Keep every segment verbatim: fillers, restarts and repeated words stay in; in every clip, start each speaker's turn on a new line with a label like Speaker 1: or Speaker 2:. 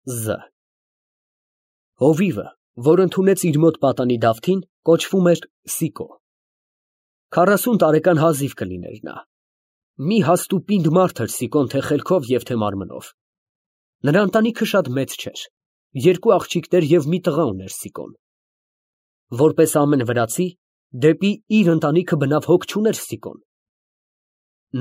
Speaker 1: Զ Հովիվը, որ ընդունեց իր մոտ պատանի Դավթին, կոչվում էր Սիկո։ Քառասուն տարեկան հազիվ կլիներ նա։ Մի հաստուպինդ մարդ էր Սիկոն թե խելքով և թե մարմնով։ Նրա ընտանիքը շատ մեծ չէր, երկու աղջիկներ և մի տղա ուներ Սիկոն։ Որպես ամեն վրացի, դեպի իր ընտանիքը բնավ հոգ չուներ Սիկոն։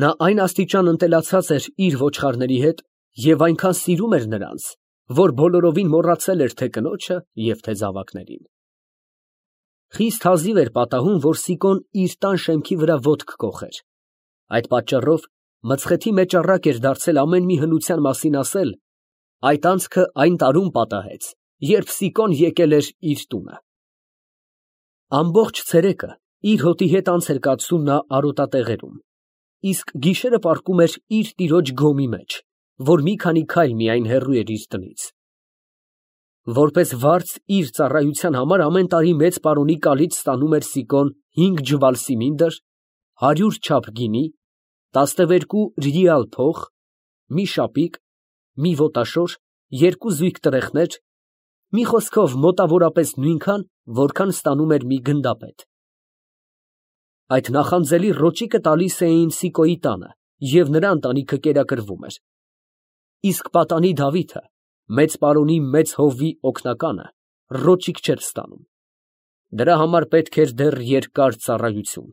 Speaker 1: Նա այն աստիճան ընտելացած էր իր ոչխարների հետ և այնքան սիրում էր նրանց, որ բոլորովին մոռացել էր թե կնոջը և թե զավակներին։ Խիստ հազիվ էր պատահում, որ Սիկոն իր տան շեմքի վրա ոտք կոխեր։ Այդ պատճառով մծխეთი մեճառակ էր դարձել ամեն մի հնության մասին ասել, այդ անցքը այն տարում պատահեց, երբ Սիկոն եկել էր իր տունը։ Ամբողջ ցերեկը իր հոտի հետ անց էր կացնում նա արոտատեղերում, իսկ գիշերը պառկում էր իր տիրոջ գոմի մեջ, որ մի քանի քայլ միայն հեռու էր իր տնից։ Որպես վարձ իր ծառայության համար ամեն տարի մեծ պարոնի կալից ստանում էր Սիկոն հինգ ջվալ սիմինդր, հարյուր չափ գինի, տասնվերկու ռիալ փող, մի շապիկ, մի ոտաշոր, երկու զույգ տրեխներ, մի խոսքով մոտավորապես նույնքան, որքան ստանում էր մի գնդապետ։ Այդ նախանձելի ռոճիկը տալիս էին Սիկոյի տանը, և նրա ընտանիքը կերակրվում էր։ Իսկ պատանի Դավիթը, մեծ պարոնի մեծ հովվի օգնականը, ռոճիկ չէր ստանում։ Դրա համար պետք էր դեռ երկար ծառայություն։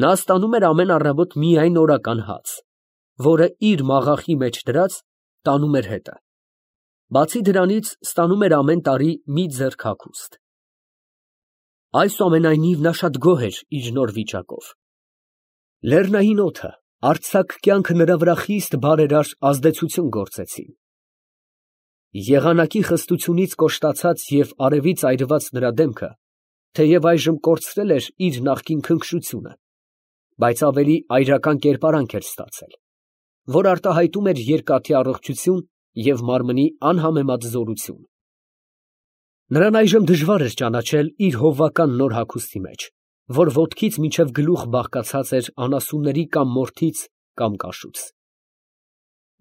Speaker 1: Նա ստանում էր ամեն առավոտ միայն օրական հաց, որը իր մաղախի մեջ դրած տանում էր հետը։ Բացի դրանից ստանում էր ամեն տարի մի ձեռք հագուստ։ Այսուամենայնիվ նա շատ գոհ էր իր նոր վիճակով։ Լեռնային օդը, արձակ կյանքը նրա վրա խիստ բարերար ազդեցություն գործեցին։ Եղանակի խստությունից կոշտացած և արևից այրված նրա դեմքը թեև այժմ կորցրել էր իր նախկին քնքշությունը, բայց ավելի այրական կերպարանք էր ստացել, որ արտահայտում էր երկաթի առողջություն և մարմնի անհամեմատ զորություն։ Նրան այժմ դժվար էր ճանաչել իր հովվական նոր հագուստի մեջ, որ ոտքից մինչև գլուխ բաղկացած էր անասունների կամ մորթից կամ կաշուց։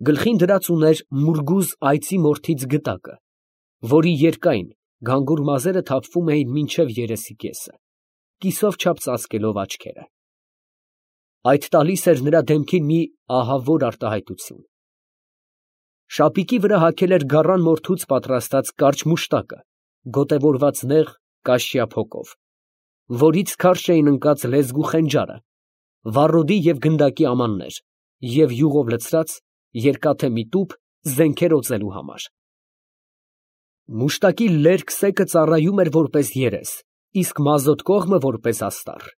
Speaker 1: Գլխին դրած ուներ մուրգուզ այծի մորթից գտակը, որի երկայն, գանգուր մազերը թափվում էին մինչև երեսի կեսը, կիսով չափ ծածկելով աչքերը։ Այդ տալիս էր նրա դեմքին մի ահավոր արտահայտություն։ Շապիկի վրա հագել էր գառան մորթուց պատրաստած կարճ մուշտակը, գոտևորված նեղ կաշյա փոկով, որից քարշ էին ընկած լեզվու խենջարը, վառոդի և գնդակի ամաններ և յուղով լցրած երկաթե մի տուփ զենքեր օծելու համար։ Մուշտակի լերկ սեկը ծառայում էր որպես երես, իսկ մազոտ կողմը որպես աստառ։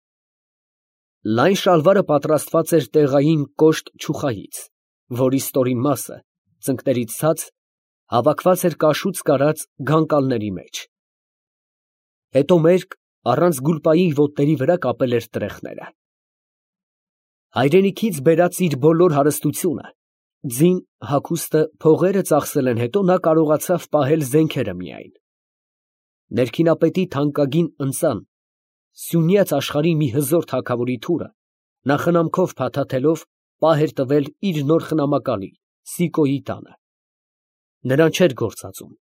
Speaker 1: Լայն շալվարը պատրաստված էր տեղային կոշտ չուխայից, որի ստորին մասը, ծնկներից ցած, հավաքված էր կաշուց կարած գանկալների մեջ։ Հետո մերկ, առանց գուլպայի ոտների վրա կապել էր տրեխները։ Հայրենիքից բերած իր բոլոր հարստությունը, ձին, հագուստը, փողերը ծախսել են հետո նա կարողացավ պահել զենքերը միայն։ Ներքինապետի թանկագին ընծան, սյունյաց աշխարհի մի հզոր թագավորի թուրը, նա խնամքով փաթաթելով պահ էր տվել իր նոր խնամակալի Սիկոյի տանը։ Նրան չէր գործածում,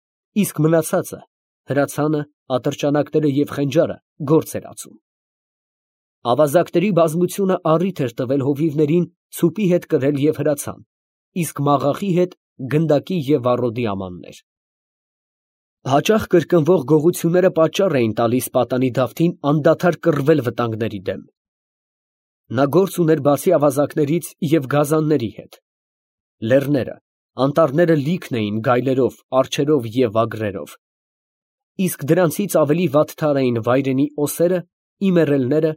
Speaker 1: իսկ մնացածը, հրացանը, ատրճանակները և խենջարը գործ էր ածում։ Ավազակների բազմությունը առիթ էր տվել հովիվներին ցուպի հետ կրել և հրացան, իսկ մաղախի հետ գնդակի և վառոդի ամաններ։ Հաճախ կրկնվող գողությունները պատճառ էին տալիս պատանի Դավթին անդադար կռվել վտանգների դեմ։ Նա գործ ուներ բացի ավազակներից և գազանների հետ։ Լեռները, անտառները լիքն էին գայլերով, արջերով և վագրերով, իսկ դրանցից ավելի վատթար էին վայրենի օսերը, իմեռելները,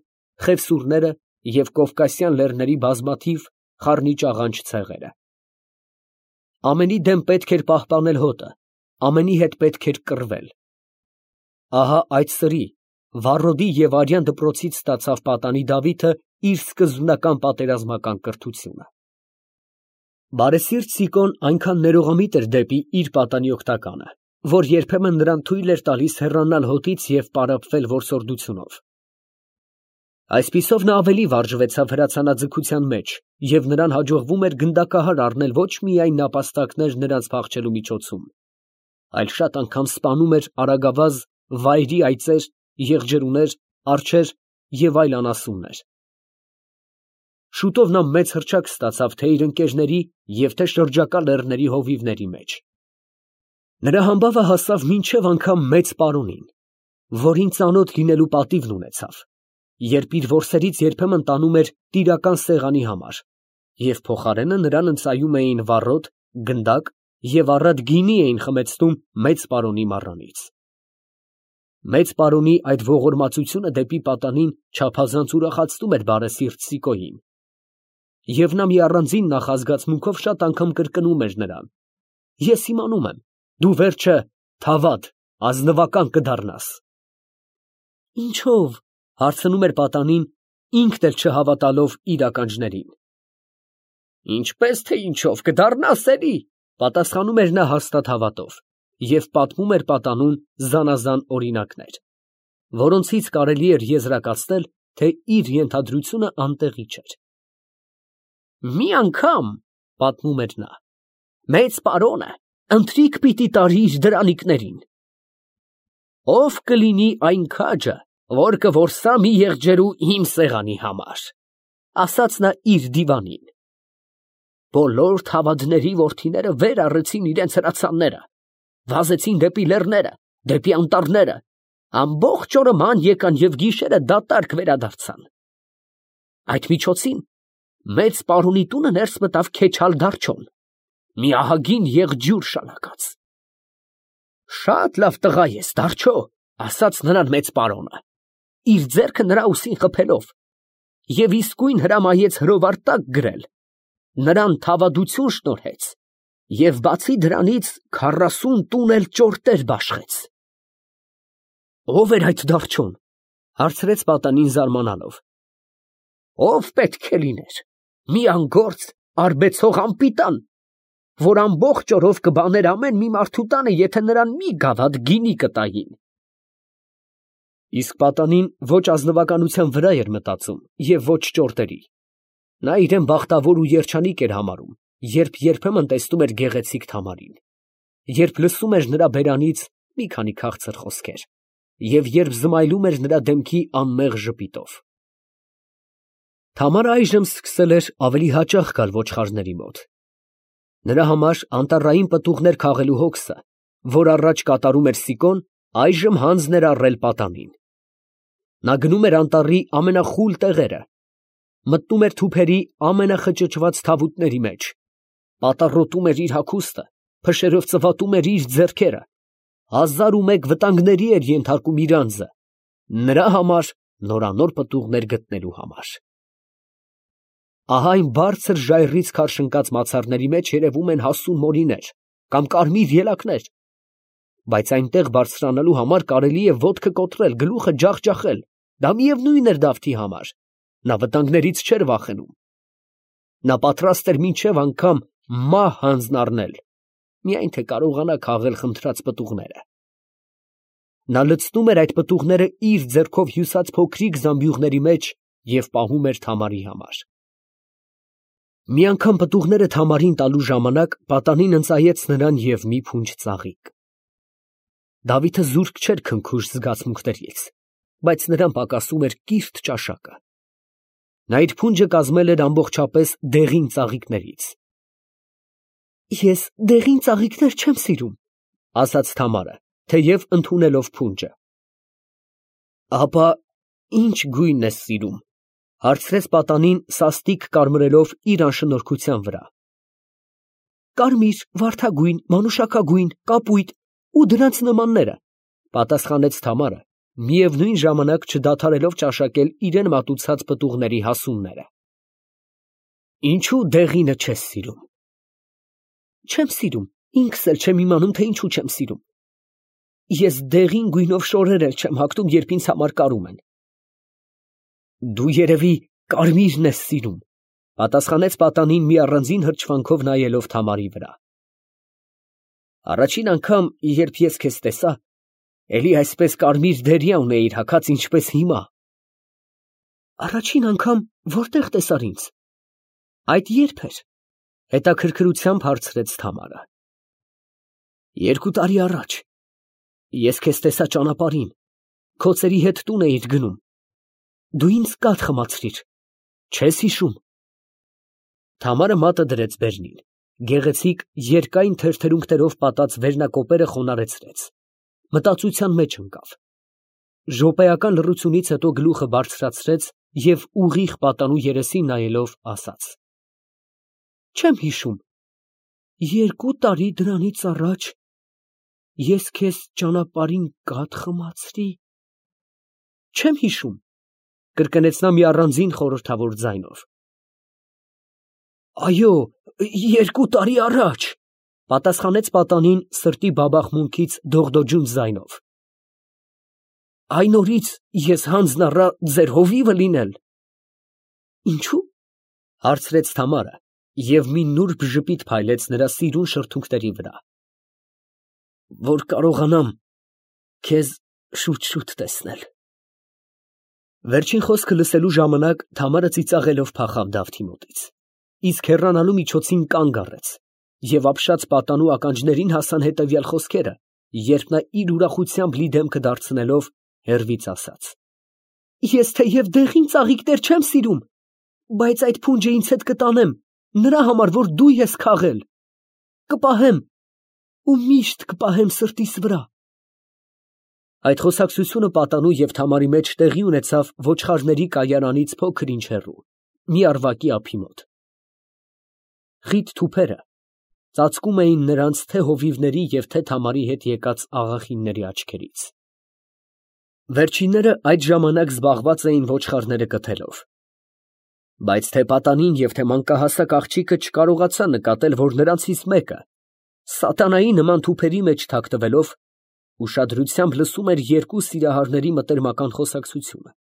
Speaker 1: խևսուրները և կովկասյան լեռների բազմաթիվ խառնիճաղանճ ցեղերը։ Ամենի դեմ պետք էր պահպանել հոտը, ամենի հետ պետք էր կռվել։ Ահա այդ սրի, վառոդի և արյան դպրոցից ստացավ պատանի Դավիթը իր սկզբնական պատերազմական կրթությունը։ Բարեսիրտ Սիկոն այնքան ներողամիտ էր դեպի իր պատանի օգնականը, որ երբեմն նրան թույլ էր տալիս հեռանալ հոտից և պարապվել որսորդությունով։ Այսպիսով նա ավելի վարժվեցավ հրացանաձգության մեջ, և նրան հաջողվում էր գնդակահար առնել ոչ միայն նապաստակներ նրանց փախչելու միջոցում, այլ շատ անգամ սպանում էր արագավազ, վայրի այծեր, եղջերուներ, արջեր և այլ անասուններ։ Շուտով նա մեծ հռչակ ստացավ թե իր ընկերների և թե շրջակա լեռների հովիվների մեջ։ Նրա համբավը հասավ մինչև անգամ մեծ պարոնին, որին ծանոթ լինելու պատիվն ունեցավ, երբ իր որսերից երբեմն տանում էր տիրական սեղանի համար, և փոխարենը նրան ընծայում էին վառոդ, գնդակ և առատ գինի էին խմեցնում մեծ պարոնի մառանից։ Մեծ պարոնի այդ ողորմածությունը դեպի պատանին չափազանց ուրախացնում էր բարեսիրտ Սիկոյին, և նա մի առանձին նախազգացմունքով շատ անգամ կրկնում էր նրան. «Ես իմանում եմ, դու վերջը թավադ, ազնվական կդառնաս»։ «Ինչո՞վ» հարցնում էր պատանին, ինքն էլ չհավատալով իր ականջներին։ «Ինչպես թե ինչով, կդառնաս էլի», պատասխանում էր նա հաստատ հավատով, և պատմում էր պատանուն զանազան օրինակներ, որոնցից կարելի էր եզրակացնել, թե իր ենթադրությունը անտեղի չէր։ «Մի անգամ, ֊ պատմում էր նա, ֊ մեծ պարոնը ընթրիք պիտի տարի իր դրանիկներին. ով կլինի այն քաջը, որ կորսա մի եղջերու իմ սեղանի համար, ասաց նա իր դիվանին։ Բոլոր թավադների որդիները վեր առեցին իրենց հրացանները, վազեցին դեպի լեռները, դեպի անտառները, ամբողջ օրը ման եկան և գիշերը դատարկ վերադարձան։ Այդ միջոցին մեծ պարոնի տունը ներս մտավ Քեչալ Դարչոն, մի ահագին եղջյուր շալակած։ Շատ լավ տղա ես, Դարչո, ասաց նրան մեծ պարոնը, իր ձեռքը նրա ուսին խփելով, և իսկույն հրամայեց հրովար տակ գրել, նրան թավադություն շնորհեց և բացի դրանից քառասուն տուն էլ ճորտեր բաշխեց։ Ո՞վ էր այդ Դարչոն, ֊ հարցրեց պատանին զարմանալով։ Ո՞վ պետք է լիներ, մի անգործ արբեցող անպիտան, որ ամբողջ օրով կբաներ ամեն մի մարդու տանը, եթե նրան մի գավաթ գինի կտային։ Իսկ պատանին ոչ ազնվականության վրա էր մտածում և ոչ ճորտերի. նա իրեն բախտավոր ու երջանիկ էր համարում, երբ երբեմն տեսնում էր գեղեցիկ Թամարին, երբ լսում էր նրա բերանից մի քանի քաղցր խոսքեր և երբ զմայլում էր նրա դեմքի անմեղ ժպիտով։ Թամարը այժմ սկսել էր ավելի հաճախ գալ ոչխարների մոտ։ Նրա համար անտառային պտուղներ քաղելու հոգսը, որ առաջ կատարում էր Սիկոն, այժմ հանձն էր առել պատանին։ Նա գնում էր անտառի ամենախուլ տեղերը, մտնում էր թուփերի ամենախճճված թավուտների մեջ, պատառոտում էր իր հագուստը, փշերով ծվատում էր իր ձեռքերը, հազար ու մեկ վտանգների էր ենթարկում իր անձը, նրա համար նորանոր պտուղներ գտնելու համար։ Ահա այն բարձր ժայռից քարշընկած մացառների մեջ երևում են հասուն մորիներ կամ կարմիր ելակներ, բայց այնտեղ բարձրանալու համար կարելի է ոտքը կոտրել, գլուխը ջախջախել, դա միևնույն էր Դավթի համար, նա վտանգներից չէր վախենում։ Նա պատրաստ էր մինչև անգամ մահ հանձն առնել, միայն թե կարողանա քաղել խնդրած պտուղները։ Նա լցնում էր այդ պտուղները իր ձեռքով հյուսած փոքրիկ զամբյուղների մեջ և պահում էր Թամարի համար։ Մի անգամ պտուղները Թամարին տալու ժամանակ պատանին ընծայեց նրան և մի փունջ ծաղիկ։ Դավիթը զուրկ չէր քնքուշ զգացմունքներից, բայց նրան պակասում էր կիրթ ճաշակը։ Նա իր փունջը կազմել էր ամբողջապես դեղին ծաղիկներից։ Ես դեղին ծաղիկներ չեմ սիրում, ֊ ասաց Թամարը, թեև ընդունելով փունջը։ Ապա ի՞նչ գույն ես սիրում, ֊ հարցրեց պատանին սաստիկ կարմրելով իր անշնորհքության վրա։ Կարմիր, վարդագույն, մանուշակագույն, կապույտ ու դրանց նմանները, ֊ պատասխանեց Թամարը, միևնույն ժամանակ չդադարելով ճաշակել իրան մատուցած պտուղների հասունները։ Ինչո՞ւ դեղինը չես սիրում։ Չեմ սիրում, ինքս էլ չեմ իմանում, թե ինչու չեմ սիրում։ Ես դեղին գույնով շորեր էլ չեմ հագնում, երբ ինձ համար կարում են։ Դու երևի կարմիրն ես սիրում, ֊ պատասխանեց պատանին մի առանձին հրճվանքով նայելով Թամարի վրա։ Առաջին անգամ, երբ ես քեզ տեսա, էլի այսպես կարմիր դերիա ունեիր հագած, ինչպես հիմա։ Առաջին անգամ որտե՞ղ տեսար ինձ։ Այդ ե՞րբ էր, ֊ հետաքրքրությամբ հարցրեց Թամարը։ Երկու տարի առաջ ես քեզ տեսա ճանապարհին, քո ծերի հետ տուն էիր գնում, դու ինձ կաթ խմացրիր, չես հիշում։ Թամարը մատը դրեց բերնին, գեղեցիկ երկայն թերթերունքներով պատած վերնակոպերը խոնարհեցրեց, մտածության մեջ ընկավ, ժոպեական լռությունից հետո գլուխը բարձրացրեց և ուղիղ պատանու երեսին նայելով ասաց. Չեմ հիշում, երկու տարի դրանից առաջ ես քեզ ճանապարհին կաթ խմացրի, չեմ հիշում, կրկնեց նա մի առանձին խորհրդավոր ձայնով։ Այո, երկու տարի առաջ, պատասխանեց պատանին սրտի բաբախմունքից դողդոջուն ձայնով։ Այն օրից ես հանձն առա ձեր հովիվը լինել։ Ինչու՞, հարցրեց Թամարը և մի նուրբ ժպիտ փայլեց նրա սիրուն շրթունքների վրա։ Որ կարողանամ քեզ շուտ-շուտ տեսնել։ Վերջին խոսքը լսելու ժամանակ Թամարը ծիծաղելով փախավ Դավթի մոտից, իսկ հեռանալու միջոցին կանգ առեց, և ապշած պատանու ականջներին հասան հետևյալ խոսքերը, երբ նա իր ուրախությամբ լի դեմքը դարձնելով հեռվից ասաց. Ես թեև դեղին ծաղիկներ չեմ սիրում, բայց այդ փունջը ինձ հետ կտանեմ, նրա համար, որ դու ես քաղել, կպահեմ ու միշտ կպահեմ սրտիս վրա։ Այդ խոսակցությունը պատանու և Թամարի մեջ տեղի ունեցավ ոչխարների կայարանից փոքր-ինչ հեռու, մի ավագի ափի մոտ։ Խիտ թուփերը ծածկում էին նրանց թե հովիվների և թե Թամարի հետ եկած աղախինների աչքերից։ Վերջինները այդ ժամանակ զբաղված էին ոչխարները կթելով։ Բայց թե պատանին և թե մանկահասակ աղջիկը չկարողացան նկատել, որ նրանցից մեկը, սատանայի նման թուփերի մեջ թաքնվելով, ուշադրությամբ լսում էր երկու սիրահարների մտերմական խոսակցությունը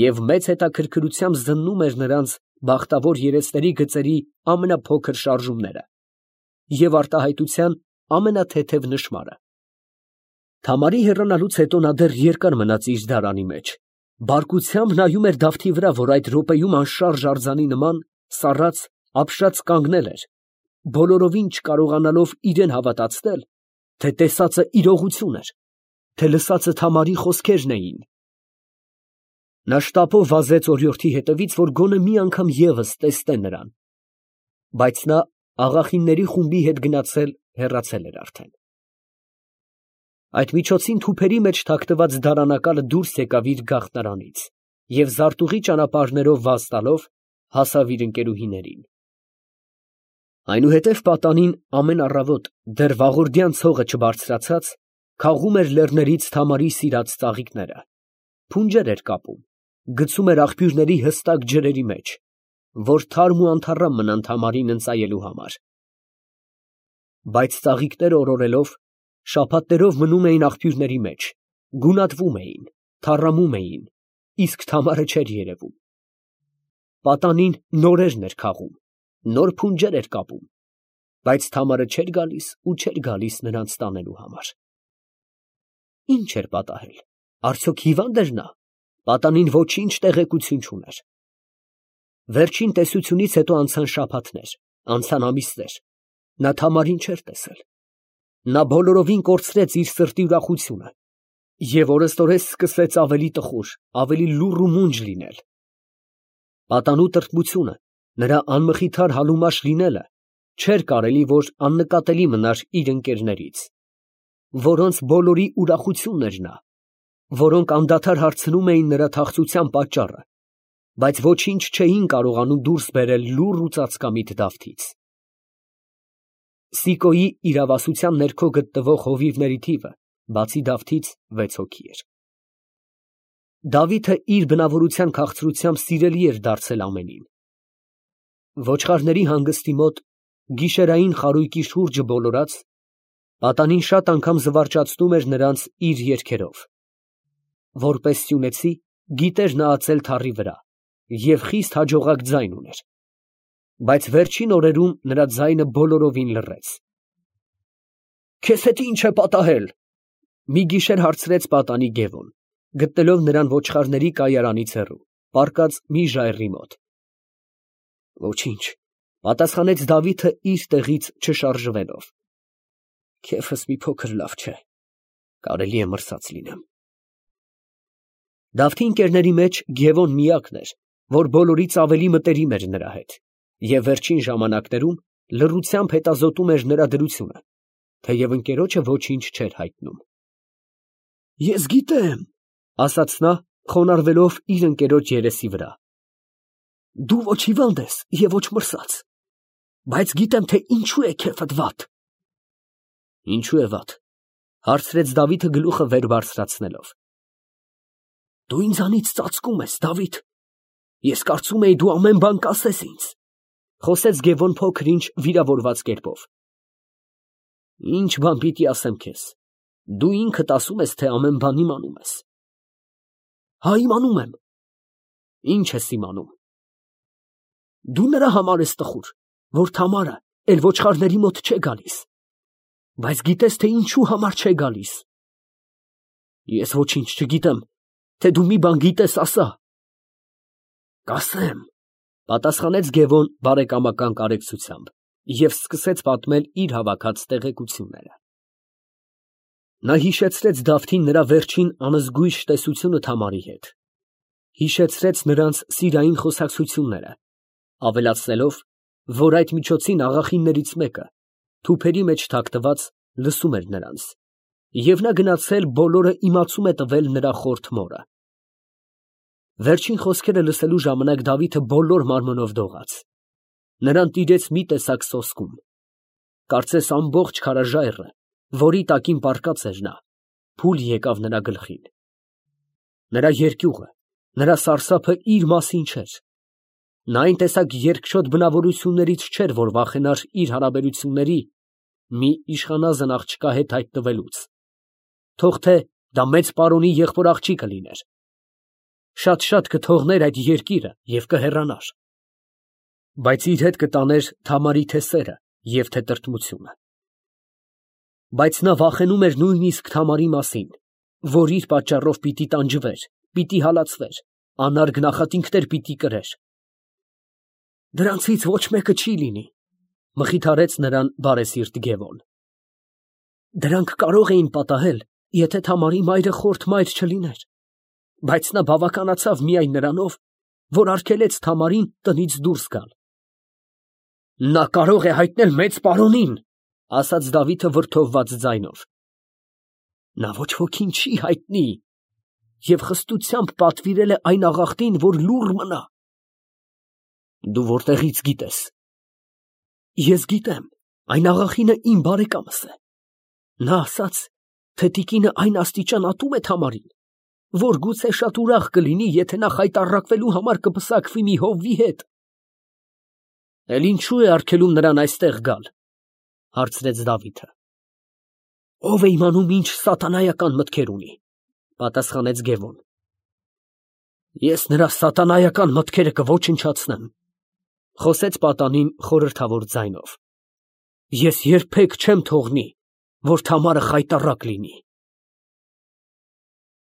Speaker 1: և մեծ հետաքրքրությամբ զննում էր նրանց բախտավոր երեսների գծերի ամենափոքր շարժումները և արտահայտության ամենաթեթև նշմարը։ Թամարի հեռանալուց հետո նա դեռ երկար մնաց իր դարանի մեջ, բարկությամբ նայում էր Դավթի վրա, որ այդ րոպեում անշարժ արձանի նման սառած, ապշած կանգնել էր, բոլորովին չկարողանալով իրան հավատացնել, թե տեսածը իրողություն էր, թե լսածը Թամարի խոսքերն էին։ Նա շտապով վազեց օրիորդի հետևից, որ գոնե մի անգամ ևս տեսնե նրան, բայց նա աղախինների խումբի հետ գնացել հեռացել էր արդեն։ Այդ միջոցին թուփերի մեջ թաքնված դարանակալը դուրս եկավ իր գաղտնարանից և զարտուղի ճանապարհներով վազ տալով հասավ իր ընկերուհիներին։ Այնուհետև պատանին ամեն առավոտ, դեռ վաղորդյան ցողը չբարձրացած, քաղում էր լեռներից Թամարի սիրած ծաղիկները, փունջեր էր կապում, գցում էր աղբյուրների հստակ ջրերի մեջ, որ թարմ ու անթառամ մնան Թամարին ընծայելու համար։ Բայց ծաղիկները օրորելով, շաբաթներով մնում էին աղբյուրների մեջ, գունատվում էին, թառամում էին, իսկ Թամարը չէր երևում։ Պատանին նորերն էր քաղում, նոր փունջեր էր կապում, բայց Թամարը չէր գալիս ու չէր գալիս նրանց տանելու համար։ Ի՞նչ էր պատահել, արդյոք հիվա՞նդ էր նա։ Պատանին ոչինչ տեղեկություն չուներ։ Վերջին տեսությունից հետո անցան շաբաթներ, անցան ամիսներ, նա Թամարին չէր տեսել։ Նա բոլորովին կորցրեց իր սրտի ուրախությունը և օրըստօրես սկսեց ավելի տխուր, ավելի լուռ ու մունջ լինել։ Պատանու տրտմությունը, նրա անմխիթար հալումաշ լինելը չէր կարելի, որ աննկատելի մնար իր ընկերներից, որոնց բոլորի ուրախությունն էր նա, որոնք անդադար հարցնում էին նրա թախծության պատճառը, բայց ոչինչ չէին կարողանում դուրս բերել լուռ ու ծածկամիտ Դավթից։ Սիկոյի իրավասության ներքո գտնվող հովիվների թիվը, բացի Դավթից, վեց հոգի էր։ Դավիթը իր բնավորության քաղցրությամբ սիրելի էր դարձել ամենին։ Ոչխարների հանգստի մոտ, գիշերային խարույկի շուրջը բոլորած, պատանին շատ անգամ զվարճացնում էր նրանց իր երգերով։ Որպես սյունեցի, գիտեր նա ածել թառի վրա և խիստ հաջողակ ձայն ուներ, բայց վերջին օրերում նրա ձայնը բոլորովին լռեց։ «Քեզ հետ ի՞նչ է պատահել», մի գիշեր հարցրեց պատանի Գևոն, գտնելով նրան ոչխարների կայարանից հեռու, պառկած մի ժայռի մոտ։ «Ոչինչ», պատասխանեց Դավիթը իր տեղից չշարժվելով։ Քեֆս մի փոքր լավ չէ, կարելի է մրսած լինեմ։ Դավթի ընկերների մեջ Գևոն միակն էր, որ բոլորից ավելի մտերիմ էր նրա հետ, և վերջին ժամանակներում լռությամբ հետազոտում էր նրա դրությունը, թեև ընկերոջը ոչինչ չէր հայտնում։ Ես գիտեմ, ասաց նա, խոնարհվելով իր ընկերոջ երեսի վրա, դու ոչ հիվանդ ես և ոչ մրսած, բայց գիտեմ, թե ինչու է քեֆդ վատ։ Ինչու է վատ, հարցրեց Դավիթը գլուխը վեր բարձրացնելով։ Դու ինձանից ծածկում ես, Դավիթ, ես կարծում էի դու ամեն բան կասես ինձ, խոսեց Գևոն փոքր-ինչ վիրավորված կերպով։ Ինչ բան պիտի ասեմ քեզ, դու ինքդ ասում ես, թե ամեն բան իմանում ես։ Հա, իմանում եմ։ Ինչ ես իմանում։ Դու նրա համար ես տխուր, որ Թամարը էլ ոչխարների մոտ չէ գալիս, բայց գիտես, թե ինչու համար չէ գալիս։ Ես ոչինչ չգիտեմ, թե դու մի բան գիտես, ասա։ Կասեմ, պատասխանեց Գևոն բարեկամական կարեկցությամբ և սկսեց պատմել իր հավաքած տեղեկությունները։ Նա հիշեցրեց Դավթին նրա վերջին անզգույշ տեսությունը Թամարի հետ, հիշեցրեց նրանց սիրային խոսակցությունները, ավելացնելով, որ այդ միջոցին աղախիններից մեկը, թուփերի մեջ թաքնված, լսում էր նրանց, և նա գնացել բոլորը իմացում է տվել նրա խորթ մորը։ Վերջին խոսքերը լսելու ժամանակ Դավիթը բոլոր մարմնով դողաց, նրան տիրեց մի տեսակ սոսկում, կարծես ամբողջ քարաժայռը, որի տակին պառկած էր նա, փուլ եկավ նրա գլխին։ Նրա երկյուղը, նրա սարսափը իր մասին չէր, նա այն տեսակ երկչոտ բնավորություններից չէր, որ վախենար իր հարաբերությունների մի իշխանազն աղջկա հետ հայտնվելուց, թող թե դա մեծ պարոնի եղբոր աղջիկը լիներ, շատ-շատ կթողներ այդ երկիրը և կհեռանար, բայց իր հետ կտաներ Թամարի թե սերը և թե տրտմությունը։ Բայց նա վախենում էր նույնիսկ Թամարի մասին, որ իր պատճառով պիտի տանջվեր, պիտի հալածվեր, անարգ նախատինքներ պիտի կրեր։ Դրանցից ոչ մեկը չի լինի, մխիթարեց նրան բարեսիրտ Գևոն։ Դրանք կարող էին պատահել, եթե Թամարի մայրը խորթ մայր չլիներ, բայց նա բավականացավ միայն նրանով, որ արգելեց Թամարին տնից դուրս գալ։ Նա կարող է հայտնել մեծ պարոնին, ասաց Դավիթը վրդովված ձայնով։ Նա ոչ ոքին չի հայտնի և խստությամբ պատվիրել է այն աղախտին, որ լուռ մնա։ Դու որտեղից գիտես։ Ես գիտեմ, այն աղախինը իմ բարեկամս է։ Նա ասաց, թե տիկինը այն աստիճան ատում է Թամարին, որ գուցե շատ ուրախ կլինի, եթե նա խայտառակվելու համար կպսակվի մի հովվի հետ։ Էլ ինչու է արգելում նրան այստեղ գալ, հարցրեց Դավիթը։ Ո՞վ է իմանում ինչ սատանայական մտքեր ունի, պատասխանեց Գևոն։ Ես նրա սատանայական մտքերը կոչնչացնեմ, խոսեց պատանին խորհրդավոր ձայնով։ Ես երբեք չեմ թողնի, որ Թամարը խայտառակ լինի։